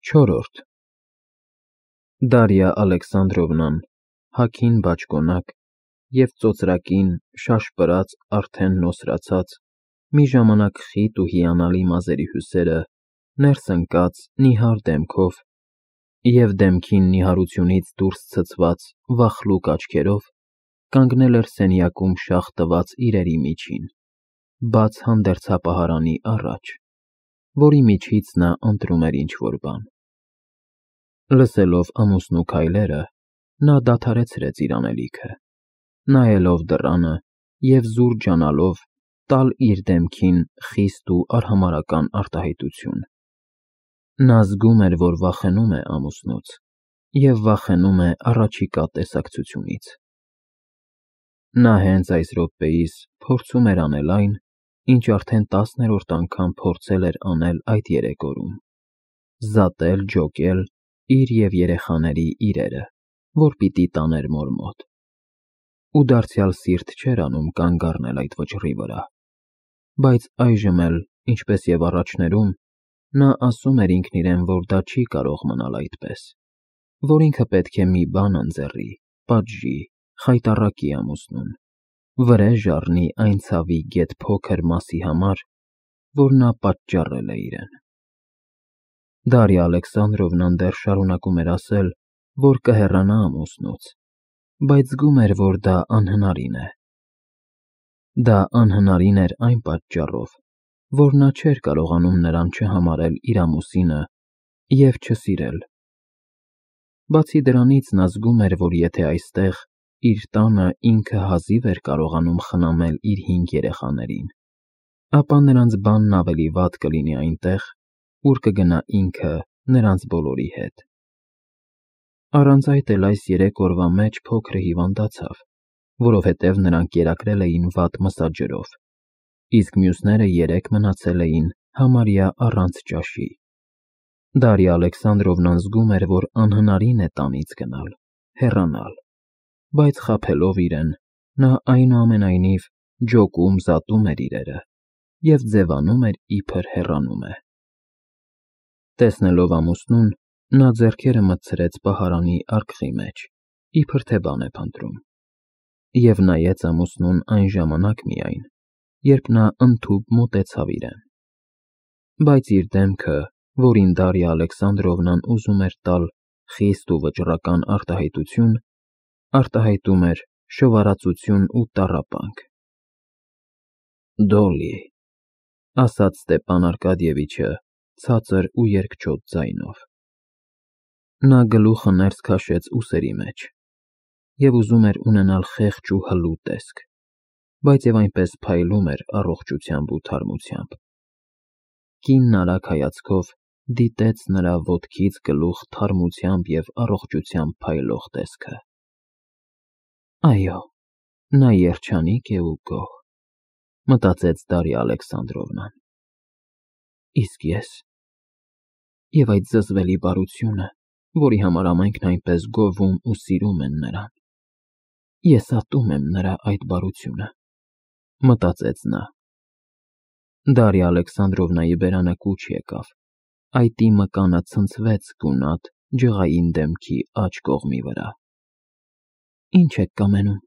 Չորրորդ Դարիա Ալեքսանդրովնան հագին բաճկոնակ և ծոծրակին շաշպրած արդեն նոսրացած, մի ժամանակ խիտ ու հիանալի մազերի հյուսերը ներս ընկած նիհար դեմքով և դեմքին նիհարությունից դուրս ցցված վախլուկ աչքերով կանգնել էր սենյակում շաղ տված իրերի միջին, բաց հանդերձապահարանի առաջ, որի միջից նա ընտրում էր ինչ-որ բան։ Լսելով ամուսնու քայլերը, նա դադարեցրեց իր անելիքը, նայելով դռանը և զուր ջանալով տալ իր դեմքին խիստ ու արհամարհական արտահայտություն։ Նա զգում էր, որ վախենում է ամուսնուց և վախենում է առաջիկա տեսակցությունից։ Նա հենց այս րոպեիս փորձում էր անել այն, ինչ արդեն 10-րդ անգամ փորձել էր անել այդ 3 օրում՝ զատել ջոկել իր և երեխաների իրերը, որ պիտի տաներ մոր մոտ։ Ու դարձյալ սիրտ չէր անում կանգ առնել այդ վճռի վրա, բայց այժմ էլ, ինչպես և առաջներում, նա ասում էր ինքն իրեն, որ դա չի կարող մնալ այդպես, որ ինքը պետք է մի բան ընձեռի, պատժի, խայտառակի ամուսնուն, վրեժ առնի այն ցավի գեթ փոքր մասի համար, որ նա պատճառել է իրեն։ Դարիա Ալեքսանդրովնան դեռ շարունակում էր ասել, որ կհեռանա ամուսնուց, բայց զգում էր, որ դա անհնարին է։ Դա անհնարին էր այն պատճառով, որ նա չէր կարողանում նրան չհամարել իր ամուսինը և չսիրել։ Բացի դրանից, նա զգում էր, որ եթե այստեղ, իր տանը ինքը հազիվ էր կարողանում խնամել իր 5 երեխաներին, ապա նրանց բանն ավելի վատ կլինի այնտեղ, ուր կգնա ինքը նրանց բոլորի հետ։ Առանց այդ էլ այս 3 օրվա մեջ փոքրը հիվանդացավ, որովհետև նրան կերակրել էին վատ մսաջրով, իսկ մյուսները 3 մնացել էին համարյա առանց ճաշի։ Դարիա Ալեքսանդրովնան զգում էր, որ անհնարին է տանից գնալ, հեռանալ, բայց խաբելով իրեն, նա այնուամենայնիվ ջոկում զատում էր իրերը և ձևանում էր, իբր հեռանում է։ Տեսնելով ամուսնուն, նա ձեռքերը մտցրեց պահարանի արկղի մեջ, իբր թե բան է փնտրում, և նայեց ամուսնուն այն ժամանակ միայն, երբ նա ընդհուպ մոտեցավ իրեն։ Բայց իր դեմքը, որին Դարիա Ալեքսանդրովնան ուզում էր տալ խիստ ու վճռական արտահայտություն, արտահայտում էր շովարածություն ու տառապանք։ «Դոլլի», ասաց Ստեփան Արկադիևիչը ցածր ու երկչոտ ձայնով։ Նա գլուխը ներս քաշեց ուսերի մեջ և ուզում էր ունենալ խեղճ ու հլու տեսք, բայց և այնպես փայլում էր առողջությամբ ու թարմությամբ։ Կինն արագ հայացքով դիտեց նրա ոտքից գլուխ թարմությամբ և առողջությամբ փայլող տեսքը։ Այո, նա երջանիկ է ու գոհ, մտածեց Դարիա Ալեքսանդրովնան։ Իսկ ես… Եվ այդ զզվելի բարությունը, որի համար ամենքն այնպես գովում ու սիրում են նրան։ Ես ատում եմ նրա այդ բարությունը, մտածեց նա։ Դարիա Ալեքսանդրովնայի բերանը կուչ եկավ, այտի մկանը ցնցվեց գունատ, ջղային դեմքի աջ կողմի վրա։ Ինչ եք կամենում,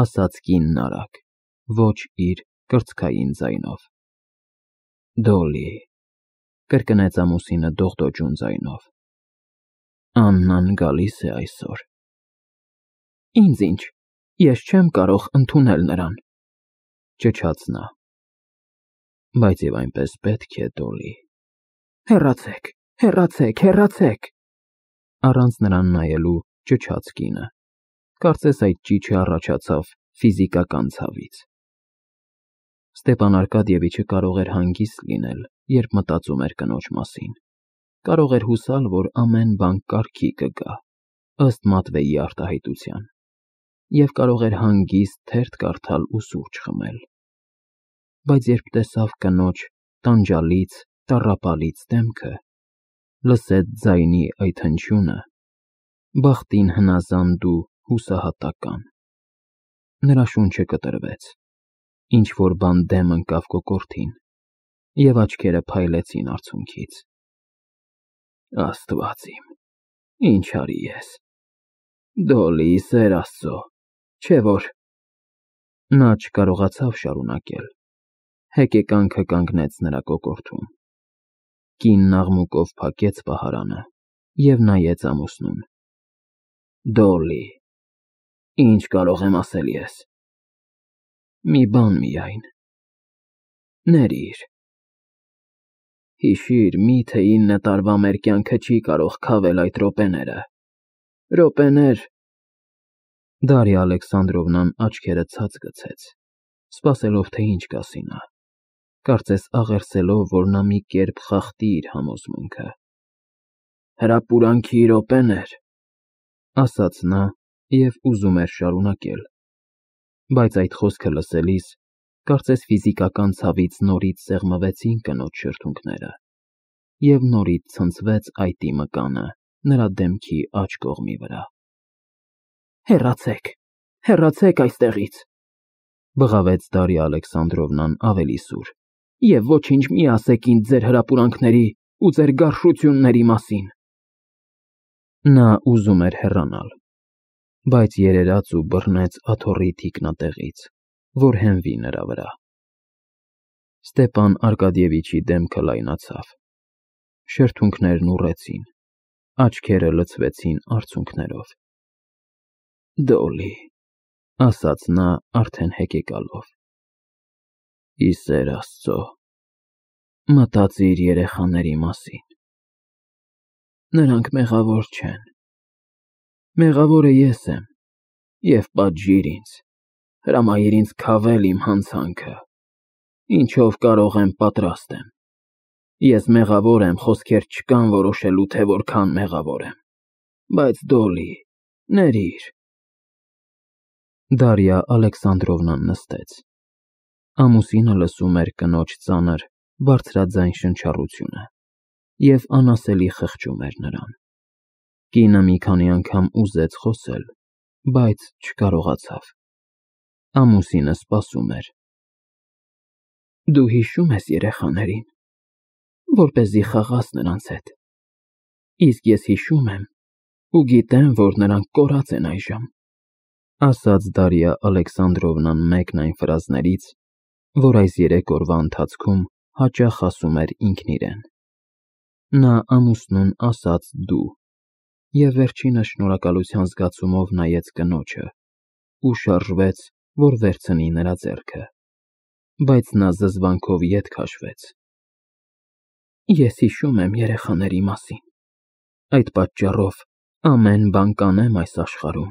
ասաց կինն արագ, ոչ իր կրծքային ձայնով։ Դոլլի, կրկնեց ամուսինը դողդոջուն ձայնով։ Աննան գալիս է այսօր։ Ինձ ինչ, ես չեմ կարող ընդունել նրան, ճչաց նա։ Բայց և այնպես պետք է, Դոլլի։ Հեռացեք, հեռացեք, հեռացեք, առանց նրան նայելու ճչաց կինը։ Կարծես այդ ճիչը առաջացավ ֆիզիկական ցավից։ Ստեփան Արկադիևիչը կարող էր հանգիստ լինել, երբ մտածում էր կնոջ մասին։ Կարող էր հուսալ, որ ամեն բան կարգի կգա, ըստ Մատվեյի արտահայտության, և կարող էր հանգիստ թերթ կարդալ ու սուրճ խմել։ Բայց երբ տեսավ կնոջ տանջալից, տառապալից դեմքը, լսեց ձայնի այդ հնչյունը, բախտին հնազանդ ու հուսահատական, նրա շունչը կտրվեց, ինչ-որ բան դեմ ընկավ կոկորդին, և աչքերը փայլեցին արցունքից։ Աստված իմ, ինչ արի ես։ Դոլի, Սեր Աստծո, չէ որ… Նա չկարողացավ շարունակել։ Հեկեկանքը կանգնեց նրա կոկորդում։ Կինն աղմուկով փակեց պահարանը և նայեց ամուսնուն։ Դոլի, ինչ կարող եմ ասել ես։ Մի բան միայն։ Ներիր։ Հիշիր, միթե 9 տարվա մեր կյանքը չի կարող քավել այդ րոպեները։ Րոպեներ… Դարիա Ալեքսանդրովնան աչքերը ցած գցեց, սպասելով, թե ինչ կասի նա, կարծես աղերսելով, որ նա մի կերպ խախտի իր համոզմունքը։ Հրապուրանքի րոպեներ, ասաց նա և ուզում էր շարունակել, բայց այդ խոսքը լսելիս, կարծես ֆիզիկական ցավից նորից սեղմվեցին կնոջ շրթունքները, և նորից ցնցվեց այտի մկանը նրա դեմքի աջ կողմի վրա։ Հեռացեք, հեռացեք այստեղից, բղավեց Դարիա Ալեքսանդրովնան ավելի սուր, և ոչինչ մի ասեք ինձ ձեր հրապուրանքների ու ձեր գարշությունների մասին։ Նա ուզում էր հեռանալ, բայց երերաց ու բռնեց աթոռի թիկնատեղից, որ հենվի նրա վրա։ Ստեպան Արկադիևիչի դեմքը լայնացավ, շրթունքներն ուռեցին, աչքերը լցվեցին արցունքներով։ Դոլի, ասաց նա արդեն հեկեկալով, ի Սեր Աստծո, մտածիր երեխաների մասին։ Նրանք մեղավոր չեն։ Մեղավորը ես եմ, և պատժիր ինձ, հրամայիր ինձ քավել իմ հանցանքը, ինչով կարող եմ պատրաստ եմ։ Ես մեղավոր եմ, խոսքեր չկան որոշելու, թե որքան մեղավոր եմ, բայց Դոլի, ներիր։ Դարիա Ալեքսանդրովնան նստեց։ Ամուսինը լսում էր կնոջ ծանր, բարձրաձայն շնչառությունը և անասելի խղճում էր նրան։ Կինը մի քանի անգամ ուզեց խոսել, բայց չկարողացավ։ Ամուսինը սպասում էր։ Դու հիշո՞ւմ ես երեխաներին, որպեսզի խաղաս նրանց հետ։ Իսկ ես հիշում եմ ու գիտեմ, որ նրանք կորած են այժմ, ասաց Դարիա Ալեքսանդրովնան մեկն այն ֆրազներից, որ այս 3 օրվա ընթացքում հաճախ ասում էր ինքն իրեն։ Նա ամուսնուն ասաց դու և վերջինս շնորհակալության զգացումով նայեց կնոջը ու շարժվեց, որ վերցնի նրա ձեռքը, բայց նա զզվանքով ետ քաշվեց։ Ես հիշում եմ երեխաների մասին, այդ պատճառով ամեն բան կանեմ այս աշխարհում,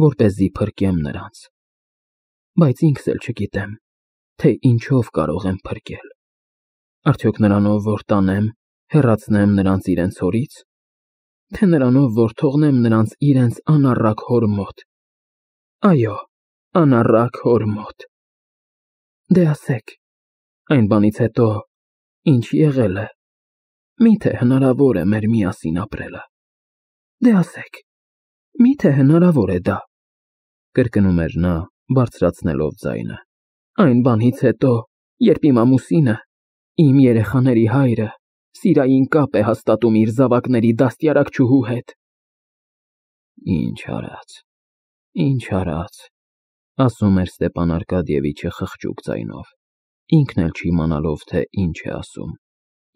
որպեսզի փրկեմ նրանց, բայց ինքս էլ չգիտեմ, թե ինչով կարող եմ փրկել։ Արդյոք նրանով, որ տանեմ, հեռացնեմ նրանց իրենց հորից, թե նրանով, որ թողնեմ նրանց իրենց անառակ հոր մոտ։ Այո, անառակ հոր մոտ։ Դե ասեք, այն բանից հետո ինչ եղել է, միթե հնարավոր է մեր միասին ապրելը։ Դե ասեք, միթե հնարավոր է դա, կրկնում էր նա, բարձրացնելով ձայնը։ Այն բանից հետո, երբ իմ ամուսինը, իմ երեխաների հայրը, սիրային կապ է հաստատում իր զավակների դաստիարակչուհու հետ։ Ինչ արած, ասում էր Ստեպան Արկադիևիչը խղճուկ ձայնով, ինքն էլ չիմանալով, թե ինչ է ասում,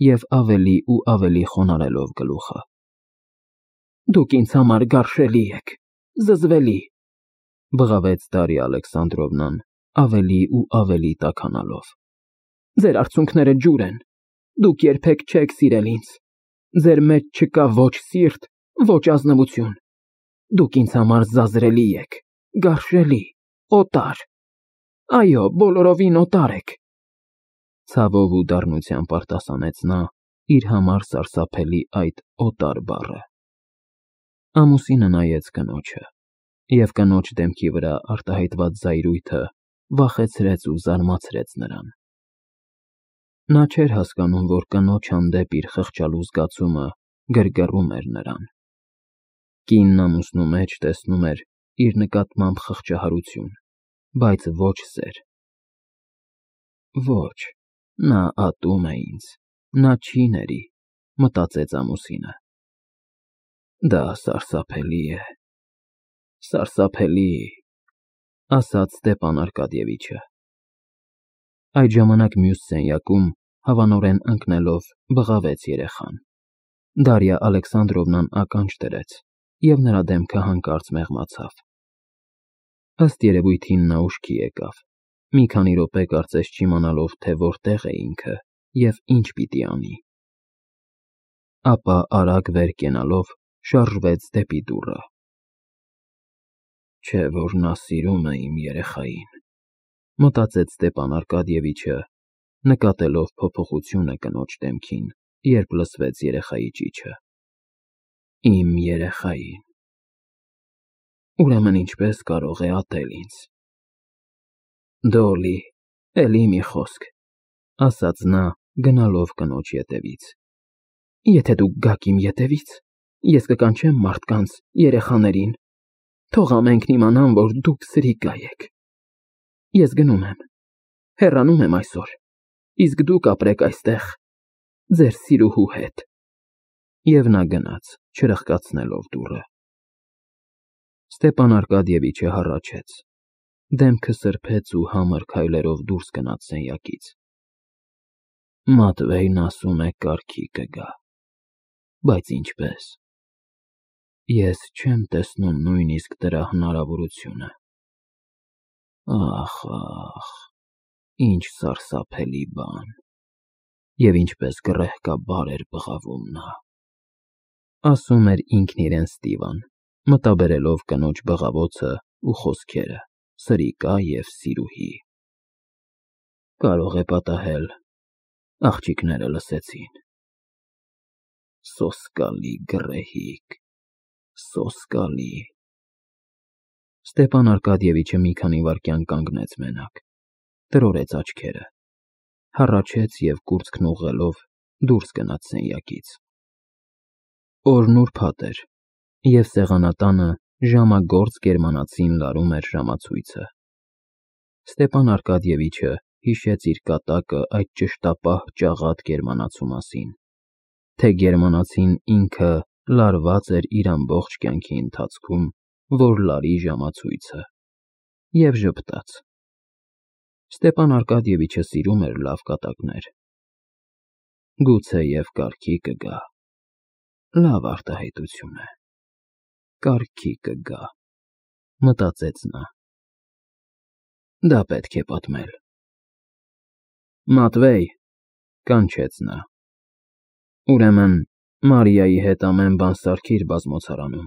և ավելի ու ավելի խոնարհելով գլուխը։ Դուք ինձ համար գարշելի եք, զզվելի, բղավեց Դարիա Ալեքսանդրովնան, ավելի ու ավելի տաքանալով։ Ձեր արցունքները ջուր են, դուք երբեք չեք սիրել ինձ, ձեր մեջ չկա ոչ սիրտ, ոչ ազնվություն, դուք ինձ համար զազրելի եք, գարշելի, օտար, այո, բոլորովին օտար եք։ Ցավով ու դառնությամբ արտասանեց նա իր համար սարսափելի այդ օտար բառը։ Ամուսինը նայեց կնոջը, և կնոջ դեմքի վրա արտահայտված զայրույթը վախեցրեց ու զարմացրեց նրան։ Նա չէր հասկանում, որ կնոջ հանդեպ իր խղճալու զգացումը գրգռում էր նրան։ Կինն ամուսնու մեջ տեսնում էր իր նկատմամբ խղճահարություն, բայց ոչ սեր։ Ոչ, նա ատում է ինձ, նա չի ների, մտածեց ամուսինը։ Դա սարսափելի է, սարսափելի, ասաց Ստեփան Արկադիևիչը։ Այդ ժամանակ մյուս սենյակում, հավանորեն ընկնելով, բղավեց երեխան։ Դարիա Ալեքսանդրովնան ականջ դրեց, և նրա դեմքը հանկարծ մեղմացավ։ Ըստ երևույթին նա ուշքի եկավ, մի քանի րոպե կարծես չիմանալով, թե որտեղ է ինքը և ինչ պիտի անի։ Ապա արագ վեր կենալով շարժվեց դեպի դուռը։ Չէ՞ որ նա սիրում է իմ երեխային, մտածեց Ստեփան Արկադիևիչը, նկատելով փոփոխությունը կնոջ դեմքին, երբ լսվեց երեխայի ճիչը։ Իմ երեխային։ Ուրեմն ինչպես կարող է ատել ինձ։ Դոլի, էլի մի խոսք, ասաց նա, գնալով կնոջ ետևից։ Եթե դուք գաք իմ ետևից, ես կկանչեմ մարդկանց, երեխաներին, թող ամենքն իմանան, որ դուք սրիկա եք։ Ես գնում եմ, հեռանում եմ այսօր, իսկ դուք ապրեք այստեղ, ձեր սիրուհու հետ։ Եվ նա գնաց, չրխկացնելով դուռը։ Ստեփան Արկադիևիչը հառաչեց, դեմքը սրբեց ու համր քայլերով դուրս գնաց սենյակից։ Մատվեյն ասում է կարգի կգա, բայց ինչպես։ Ես չեմ տեսնում նույնիսկ դրա հնարավորությունը։ Ախ, ինչ սարսափելի բան։ Եվ ինչպես գռեհկաբար էր բղավում նա։ Ասում էր ինքն իրեն Ստիվան, մտաբերելով կնոջ բղավոցը ու խոսքերը, սրիկա և սիրուհի։ Կարող է պատահել, աղջիկները լսեցին։ Սոսկալի գռեհիկ, սոսկալի։ Ստեփան Արկադիևիչը մի քանի վայրկյան կանգնեց մենակ, տրորեց աչքերը, հառաչեց և կուրծքն ուղղելով դուրս գնաց սենյակից։ Օրն ուրբաթ էր, և սեղանատանը ժամագործ գերմանացին լարում էր ժամացույցը։ Ստեփան Արկադիևիչը հիշեց իր կատակը այդ ճշտապահ ճաղատ գերմանացու մասին, թե գերմանացին ինքը լարված էր իր ամբողջ կյանքի ընթացքում, որ լարի ժամացույցը, և ժպտաց։ Ստեփան Արկադիևիչը սիրում էր լավ կատակներ։ Գուցեև կարգի կգա։ Լավ արտահայտություն է։ Կարգի կգա, մտածեց նա։ Դա պետք է պատմել։ Մատվեյ, կանչեց նա։ Ուրեմն Մարիայի հետ ամեն բան սարքիր բազմոցարանում,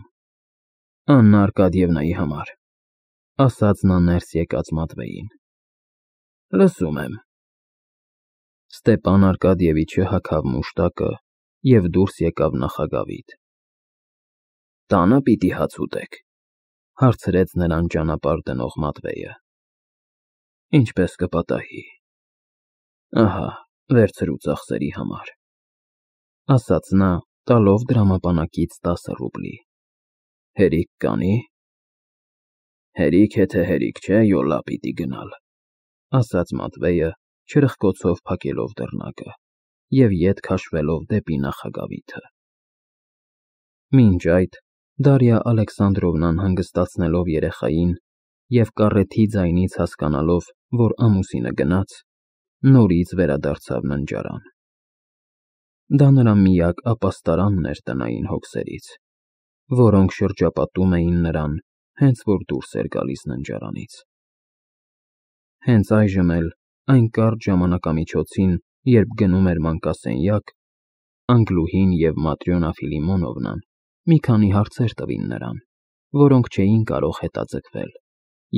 Աննա Արկադիևնայի համար, ասաց նա ներս եկած Մատվեյին։ Լսում եմ։ Ստեփան Արկադիևիչը հագավ մուշտակը և դուրս եկավ նախագավիթ։ Տանը պիտի հաց ուտեք, հարցրեց նրան ճանապարհ դնող Մատվեյը։ Ինչպես կպատահի։ Ահա, վերցրու ծախսերի համար, ասաց նա, տալով դրամապանակից 10 ռուբլի։ Հերիք կանի։ Հերիք է թե հերիք չէ, յոլա պիտի գնալ, ասաց Մատվեյը, չրխկոցով փակելով դռնակը և ետ քաշվելով դեպի նախագավիթը։ Մինչ այդ Դարիա Ալեքսանդրովնան հանգստացնելով երեխային և կառեթի ձայնից հասկանալով, որ ամուսինը գնաց, նորից վերադարձավ ննջարան։ Դա նրա միակ ապաստարանն էր տնային հոգսերից, որոնք շրջապատում էին նրան, հենց որ դուրս էր գալիս ննջարանից։ Հենց այժմ էլ, այն կարճ ժամանակամիջոցին, երբ գնում էր մանկասենյակ, Անգլուհին և Маտրյոնա Ֆիլիմոնովնան մի քանի հարցեր տվին նրան, որոնք չէին կարող հետաձգվել,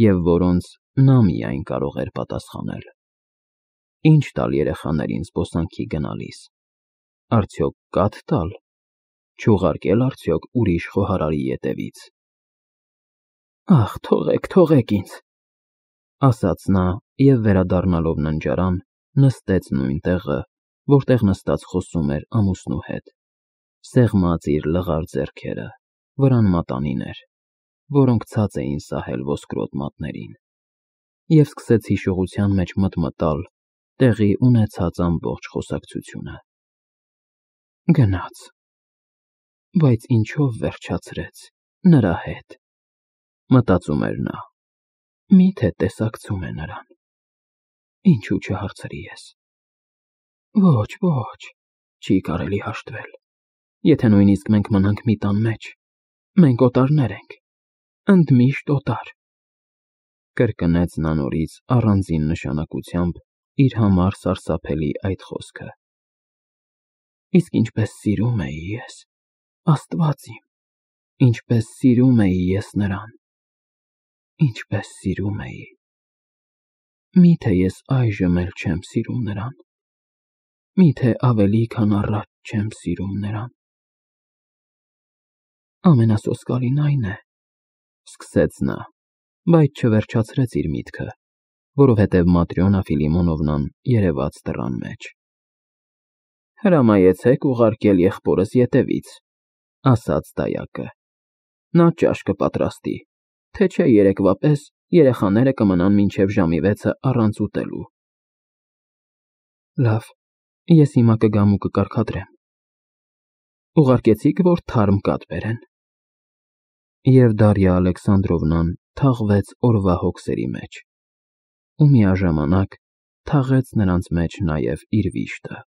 և որոնց նա միայն կարող էր պատասխանել։ Ինչ տալ երեխաներին զբոսանքի գնալիս։ Արդյոք կաթ տալ։ Չուղարկել արդյոք ուրիշ խոհարարի ետևից։ Ախ, թողեք ինձ, ասաց նա և վերադառնալով ննջարան, նստեց նույն տեղը, որտեղ նստած խոսում էր ամուսնու հետ, սեղմած իր լղար ձեռքերը, վրան մատանիներ, որոնք ցած էին սահել ոսկրոտ մատներին, և սկսեց հիշողության մեջ մտմտալ տեղի ունեցած ամբողջ խոսակցությունը։ Գնաց, բայց ինչով վերջացրեց նրա հետ, մտածում էր նա, միթե տեսակցում է նրան, ինչու չհարցրի ես, ոչ, չի կարելի հաշտվել, եթե նույնիսկ մենք մնանք մի տան մեջ, մենք օտարներ ենք, ընդմիշտ օտար, կրկնեց նա նորից առանձին նշանակությամբ իր համար սարսափելի այդ խոսքը, իսկ ինչպես սիրում էի ես, Աստված իմ, ինչպես սիրում էի ես նրան, ինչպես սիրում էի, միթե ես այժմ էլ չեմ սիրում նրան, միթե ավելի քան առաջ չեմ սիրում նրան, ամենասոսկալին այն է, սկսեց նա, բայց չվերջացրեց իր միտքը, որովհետև 마տրյոնա Ֆիլիմոնովնան երևաց դռան մեջ։ Հրամայեցեք ուղարկել եղբորս ետևից, ասաց դայակը, նա ճաշ կպատրաստի, թե չէ երեկվա պես երեխաները կմնան մինչև ժամի 6-ը առանց ուտելու։ Լավ, ես հիմա կգամ ու կկարգադրեմ։ Ուղարկեցիք, որ թարմ կաթ բերեն։ Եվ Դարիա Ալեքսանդրովնան թաղվեց օրվա հոգսերի մեջ, ու միաժամանակ թաղեց նրանց մեջ նաև իր վիշտը։